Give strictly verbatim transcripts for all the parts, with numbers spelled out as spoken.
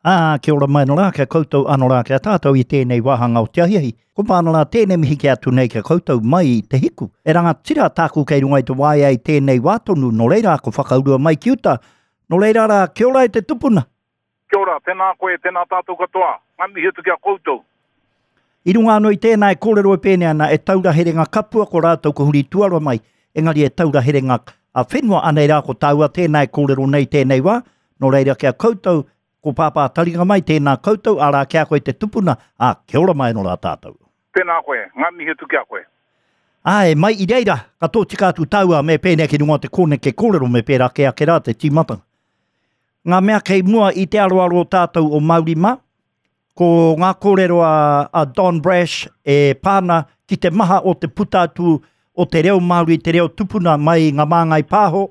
Ā, kia ora mai anō rā, kia koutou anō rā, kia tātou i tēnei wāhanga o te ahiahi. Ko pāna rā tēnei mihi ki atu nei kia koutou mai i te hiku. E rangatira tāku kei runga i te waea i tēnei wā tonu, nō reira ko whakaurua mai ki uta. Nō reira rā, kia ora e te tupuna. Kia ora, tēnā koe, tēnā tātou katoa. Ngā mihi atu ki a koutou. I runga anō i tēnā e kōrero e pēnei ana, e taura herenga kapua ko rātou ko huri tuara mai, engari e taura herenga a whenua anei rā ko tāua tēnā e kōrero nei tēnei wā, nō reira kia koutou, ko pāpā taringa mai, tēnā koutou, arā kia koe te tupuna, ā, kia ora mai anō rā tātou. Tēnā koe, ngā mihi atu ki a koe. Āe, mai i reira, ka tōtika atu tāua me pēnei ki runga o te kōneke kōrero me pērā ke ake rā te tīmatanga. Ngā mea kei mua i te aroaro o tātou o Māori mā, ko ngā kōrero a, a Don Brash e pāna ki te maha o te puta atu o te reo Māori, te reo tupuna mai ngā māngai pāho,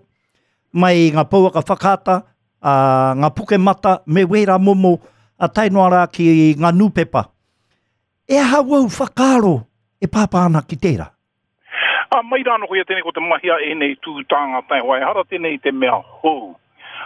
mai ngā pouaka whakaata, a, ngā pukemata, me wērā momo, a tae noa rā ki ngā nūpepa. E aha wau whakaaro e pāpā ana ki tērā? A, mai rāno koia tēnei ko te mahi a ēnei tū tāngata e hoa, ehara tēnei te mea hou.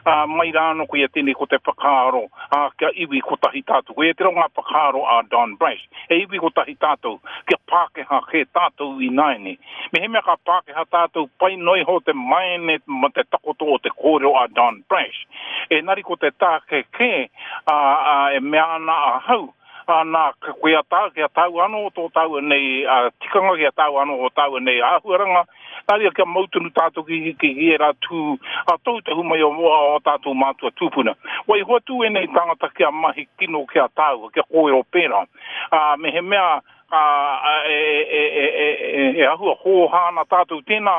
A, mai rāno koia tēnei ko te whakaaro, a, kia iwi kotahi tātou. Koia te rau ngā whakaaro a Don Brash. E iwi kotahi tātou, kia Pākehā ke tātou i nāiane. Me he mea ka Pākehā tātou, pai noi ho te maene ma te takoto o te kōrero a Don Brash. E nari ko te tāke ke, a, a, e mea ana ahau, a, nā, koe a tā, kia tāu anō tō tāua nei a, tikanga, kia tāu anō o tāua nei āhuaranga, nā reira kia mau tonu tātou ki, ki, ki ērā tū, a tautohu mai o, o, o tātou mātua tūpuna. Waiho atu ēnei tāngata kia mahi kino kia tāua, kia kōrero pērā. A, me he mea, a, a, e, e, e, e, e, e ahua hōhā ana tātou tēnā,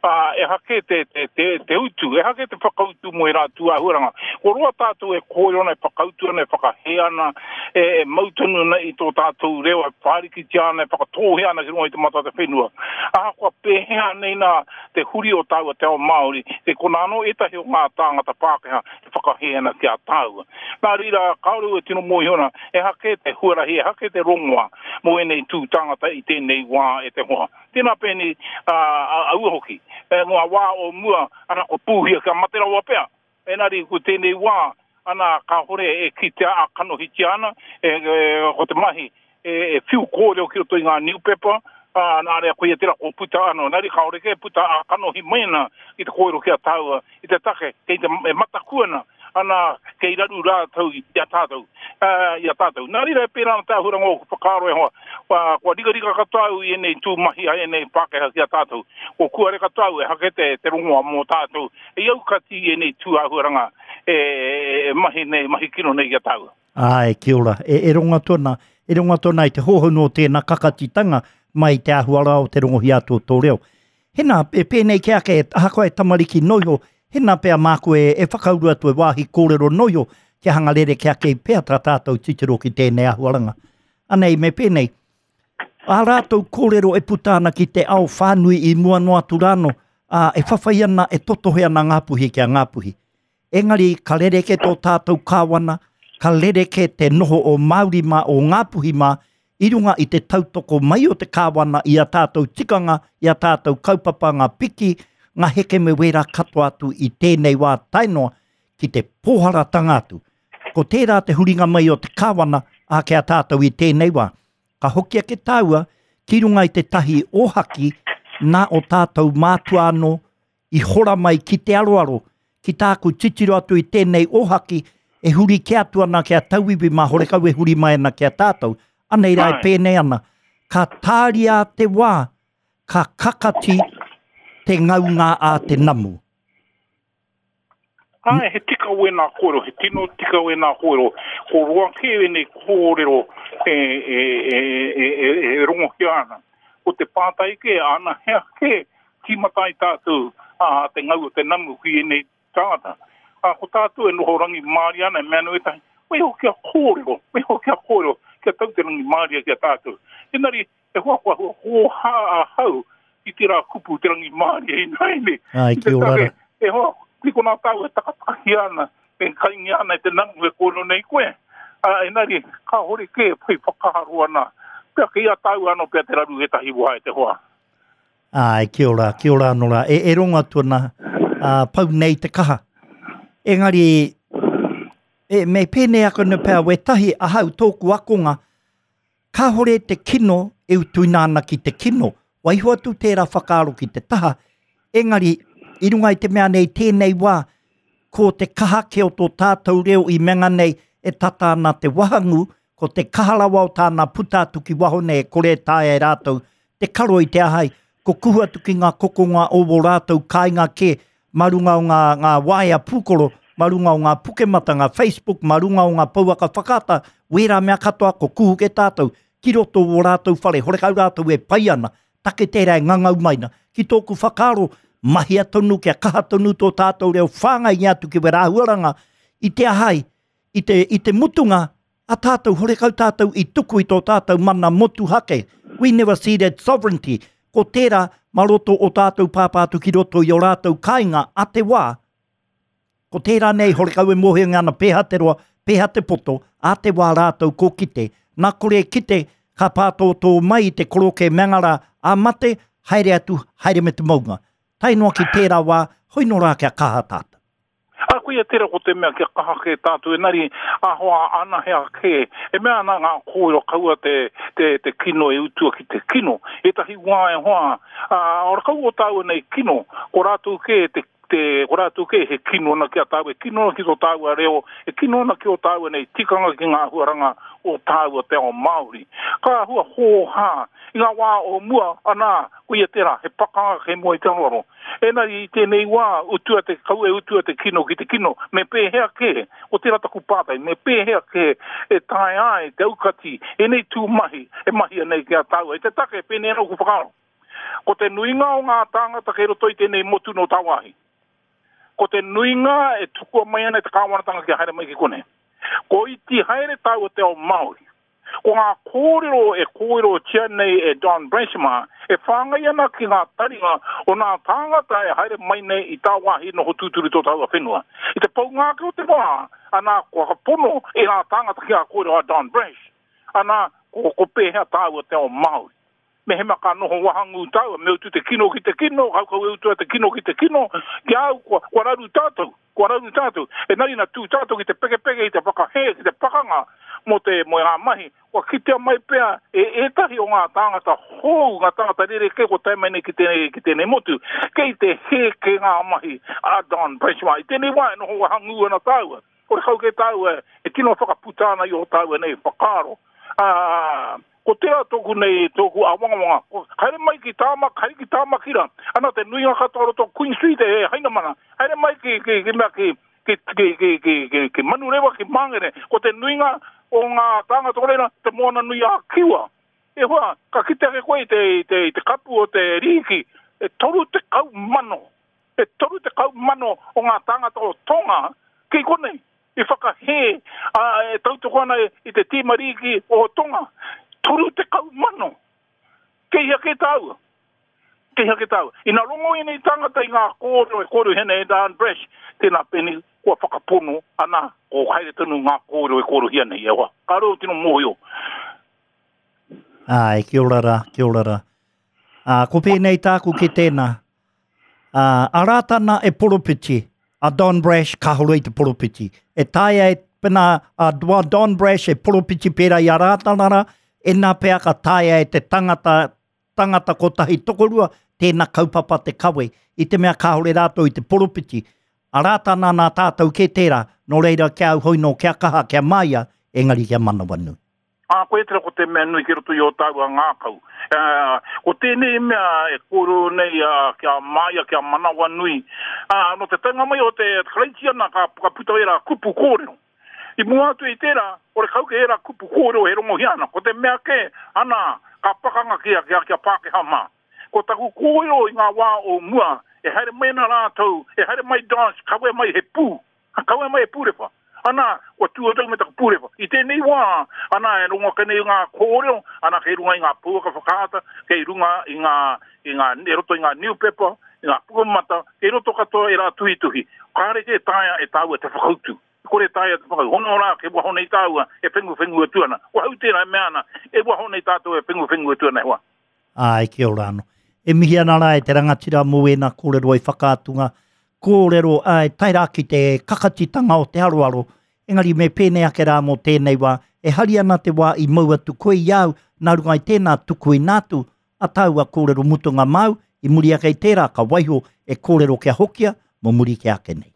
a, e hake te, te, te, te utu, e hake te whakautu mō e rā tū āhuaranga. Ko roa tātou e kōrero ana, e whakautu ana, e whakahē ana, e, e mau tonu ana i tō tātou reo, e whārikitia ana, e whakatōhea ana ki runga i te mata o te whenua. Ahakoa pēhea nei nā te huri o tāua te ao Māori, te kona anō ētahi o ngā tāngata Pākehā e whakahē ana ki a tāua. Nā reira, kāore au e tino mōhio ana, e hake te huarahi, e hake te rongoa mō ēnei tū tāngata i tēnei wā e te hoa. Tēnā pēnei, a, a, aua hoki. E, ngā wā o mua, ana ko pūhia kia mate rawa pea. Engari ko tēnei wā, ana kāhore e kitea a kanohitia ana, e, e, ko te mahi, e, e whiu kōrero ki roto i ngā newspaper, a, nā rea koia tērā ko puta anō. Nā reira kāore ke puta a kanohi mai ana i te kōrero ki a tāua, i te take, kei te e mataku ana, ana kei raru rātou i a tātou, uh, i a tātou. Nā reira e pērā ana te āhuaranga o whakaaro e hoa, kua, kua rikarika katoa au i ēnei tū mahi a ēnei Pākehā ki a tātou. Ko kuare katoa au e hake te, te rongoa mō tātou. E aukati i ēnei tū āhuaranga e, e, e mahi nei, mahi kino nei ki a tāua. Āe, kia ora. E, e rongo atu ana, e rongo atu ana i te hōhonu o tēnā kakatitanga mai te āhua rā o te rongohia atu o tō reo. Hena, e pēnei ke ake, ahakoa e tamariki noiho, hena pea māku e, e whakauru atu e wāhi kōrero noiho, kia hanga rere ke ake i pea tā tātou titiro ki tēnei āhuaranga. Anei, me pēnei, ā rātou kōrero e puta ana ki te ao whānui i mua noa atu rāno, ā, e whawhai ana, e totohe ana Ngāpuhi ki a Ngāpuhi. Engari, ka rereke tō tātou kāwana, ka rereke te noho o Māori mā, o Ngāpuhi mā, i runga i te tautoko mai o te kāwana i a tātou tikanga, i a tātou kaupapa, ngā piki, ngā heke me wērā katoa atu i tēnei wā tae noa ki te pōharatanga atu. Ko tērā te huringa mai o te kāwana a ki a tātou i tēnei wā. Ka hoki ake tāua ki runga i te tahi ōhaki nā o tātou mātua anō i hora mai ki te aroaro, ki tāku titiro atu i tēnei ōhaki e huri ke atu ana ki a tauiwi mā horekau e huri mai ana ki a tātou. Anei rā e pēnei ana. Ka tāria te wā, ka kakati te ngaunga a te namu. Ai, he tika wēnā kōrero, he tino tika wēnā kōrero. Ko roa kē ēnei kōrero e, e, e, e, e, e rongohia ana. Ko te pātai kē, ana hea kē tīmata ai tātou a, te ngau o te namu ki ēnei tāngata. A, ko tātou e noho rangimārie ana, e mea ana ētahi, waiho kia kōrero, waiho kia kōrero, kia tau te rangimārie ki a tātou. Engari, e hoa kua hua hōhā ahau i tērā kupu te rangimārie ināianei. Ai, I te kia ora take, rā. e hoa, ki konā tāu e takatahia ana, e kaingia ana e te namu e kōrero nei koe. A, engari, kāhore kē whai whakaaro ana. Pea kei a tāu anō pea te raru ētahi wā e te hoa. Ai, kia ora, kia ora anō rā. E, e rongo atu ana, ā, pau nei te kaha. Engari, E, me pēnei ako na pēr, wetahi ahau tōku akonga, kāhore te kino e utuina ana ki te kino. Waiho atu tērā whakaaro ki te taha, engari, i runga i te mea nei tēnei wā, ko te kaha ke o tō tātou reo i menga nei e tata ana te wahangu, ko te kaha rawa o tāna puta atu ki waho nei e kore taea e rātou, te karo i te ahai, ko kuhu atu ki ngā kokonga o wō rātou kāinga ke, marunga o ngā, ngā waea pūkoro, marunga o ngā pukemata, ngā Facebook, marunga o ngā pouaka whakaata, wērā mea katoa ko kuhu ke tātou, ki roto o rātou whare, horekau rātou e pai ana, take tērā e ngangau maina. Ki tōku whakaaro, mahia tonu kia kaha tonu tō tātou reo whāngai i atu ki wera huaranga, i te ahai, i te, i te mutunga, a tātou, horekau tātou i tuku i tō tātou mana motuhake. We never ceded sovereignty. Ko tērā, maroto o tātou pāpātu ki roto i o rātou kāinga a te wā. Ko tērā nei, horekau e mohe ngana pēha te roa, pēha te poto, a te wā rātou ko kite. Nā kore kite, ka pātōtō mai i te koroke mengara a mate, haere atu, haere me te maunga. Tai noa ki tērā wā, hoi no rā kia kaha tātou. A koia tērā ko te mea kia kaha ke tātou e nari ahoa ana hea ke. E mea ana ngā kōrero kaua te, te, te kino e utua ki te kino. E tahi wā e hoa, a, ora kau o tāua nei kino, ko rātou ke te te ko rātou ke he kino ana ki a tāua, e kino ana ki tō tāua reo, e kino ana ki o tāua nei tikanga ki ngā huaranga o tāua te ao Māori. Ka hua hōhā, i ngā wā o mua, ana, koia tērā, he pakanga ke mua i te aroaro. Engari i tēnei wā, utua te kau e utua te kino ki te kino, me pēhea ke, o tērā taku pātai, me pēhea ke e tae ai te aukati, enei tū mahi, e mahi nei ki a tāua, i te take, pēnei anō ku whakaaro. Ko te nuinga o ngā tāngata kei roto i tēnei motu no tāwāhi. Ko te nuinga e tukua mai ana i te kāwanatanga kia haere mai ki konei. Ko iti haere tāua te ao Māori. Ko ngā kōrero e kōrerotia nei e Don Brash mā, e whāngai ana ki ngā taringa o ngā tāngata e haere mai nei i tāwāhi noho tūturu tō tāua whenua. I te paunga ake o te wā, ana ko whakapono e ngā tāngata ki ngā kōrero a Don Brash. Ana ko, ko pēhea tāua te ao Māori. Me hema ka noho wahangu tāua, me utu te kino ki te kino, kaukau e utua te kino ki te kino, ki au, kua, kua raru tātou, kua raru tātou. E nari na tū tātou ki te pekepeke, i te whakahē, ki te pakanga mō te mō ngā mahi. Kua kitea mai pea e ētahi o ngā tāngata hou, ngā tāngata rerekē ko tae mai nei ki tēnei, ki tēnei motu. Kei te hē ke ngā mahi a Don Brash mā. I tēnei wā e noho wahangu ana tāua. Kore kau ke tāua e tino whakaputa ana i o tāua nei whakaaro. Ah, ko tērā tōku nei, tōku awangawanga. Ko, haere mai ki Tāmaki, haere ki Tāmakira. Ana te nuinga katoa roto Queen Street e Hainamana. Haere mai ki, ki, ki, mea ki, ki, ki, ki, ki, ki, ki Manurewa, ki Māngere. Ko te nuinga o ngā tāngata o reira, te moana nui a Kiwa. E hoa, ka kite ake koe i te, i te, i te kapu o te rīki, e toru tekau mano. E toru tekau mano o ngā tāngata o Tonga ki konei. I whakahē, a, e tautoko ana i te tīma rīki o Tonga. Toru tekau mano. Kei hea ke tāua. Kei hea ke tāua. Ina rongo i nei tangata i ngā kōrero e kōrero hene e Don Brash, tēnā pēnei kua whakapono ana ko haere tonu ngā kōrero e kōrerohia nei e hoa. Ka reo tino mōhio. Ai, kia ora rā, kia ora rā. Ā, ko pēnei tāku ki tēnā. Ā, a Rātana e poropiti, a Don Brash kāhore i te poropiti. E taea e pena a Don Brash e poropiti pērā i a Rātana rā, e nā pea ka taea e te tangata, tangata kotahi tokorua, tēnā kaupapa te kawe, i te mea kāhore rātou i te poropiti. A Rātana nā tātou ke tērā, nō reira kia au hoi nō, kia kaha, kia māia, engari kia manawanui. Ā, ko e tera ko te mea nui ki roto i o tāua ngākau. Uh, ko tēnei mea e kōrero nei uh, kia māia, kia manawanui. Ā, no te taunga mai o te Karaitiana ka, ka puta era kupu kōrero. I mua atu i tērā, ore kau ke era kupu kōrero e rongohia ana. Ko te mea ke, ana, ka pakanga kia, kia, kia Pākehā mā. Ko taku kōrero i ngā wā o mua, e haere mai ana rātou, e haere mai Don, kawe mai he pū, kawe mai he pūrewha. Ana, kua tū atu me taku pūrewha. I tēnei wā, ana, e rongo ake nei ngā kōrero, ana, kei runga i ngā pouaka whakaata, kei runga i ngā, i ngā, e roto i ngā newspaper, i ngā pukamata, kei roto katoa e rā tuhituhi. Kāre ke taea e tāua te whakautu. Kore taea te whakautu. Hono rā, ke waho nei tāua e whengu whengu atu ana. Ko hau tērā e mea ana, e waho nei tātou e whengu whengu atu ana e hoa. Ai, kia ora anō. E mihi ana rā e te rangatira mō ēnā kōrero i whakaatunga. Kōrero, ai, tae rā ki te kakatitanga o te aroaro, Engari me pēnei ake rā mō tēnei wā, e hari ana te wā i mau atu koe i au, nā runga i tēnā tuku ina atu, a tāua kōrero mutunga māu, i muri ake i tērā ka waiho e kōrero kia hokia, mō muri ke ake nei.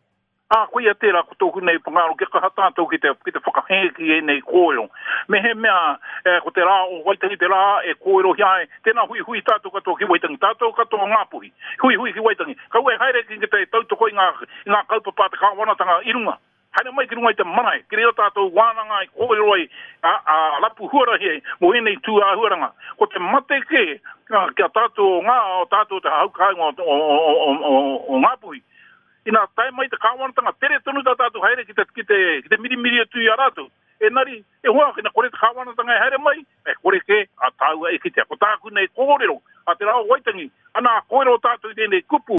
Ā, koia tērā ko tōku nei whakaaro kia kaha tātou ki te, ki te whakahē ki ēnei kōrero. Mehemea e, ko te rā o Waitangi te rā e kōrerohia ai, tēnā huihui tātou katoa ki Waitangi, tātou katoa o Ngāpuhi, huihui ki Waitangi. Kaua e haere ki te tautoko i ngā, i ngā kaupapa a te kāwanatanga i runga. Haere mai ki runga i te marae, ki reira tātou wānanga ai, kōrero ai, a, a, rapu huarahi ai mō ēnei tū āhuaranga. Ko te mate kē, ki a tātou o ngā, o tātou te hau kāinga o, o, o, o, o, o Ngāpuhi, ina tae mai te kāwanatanga, tere tonu tā tātou haere ki te, ki te, ki te mirimiri atu i a rātou. Engari, e hoa, ina kore te kāwanatanga e haere mai, e kore kē a tāua e kitea. Ko tāku nei kōrero, a te rā o Waitangi, ana kōrero tātou i tēnei kupu.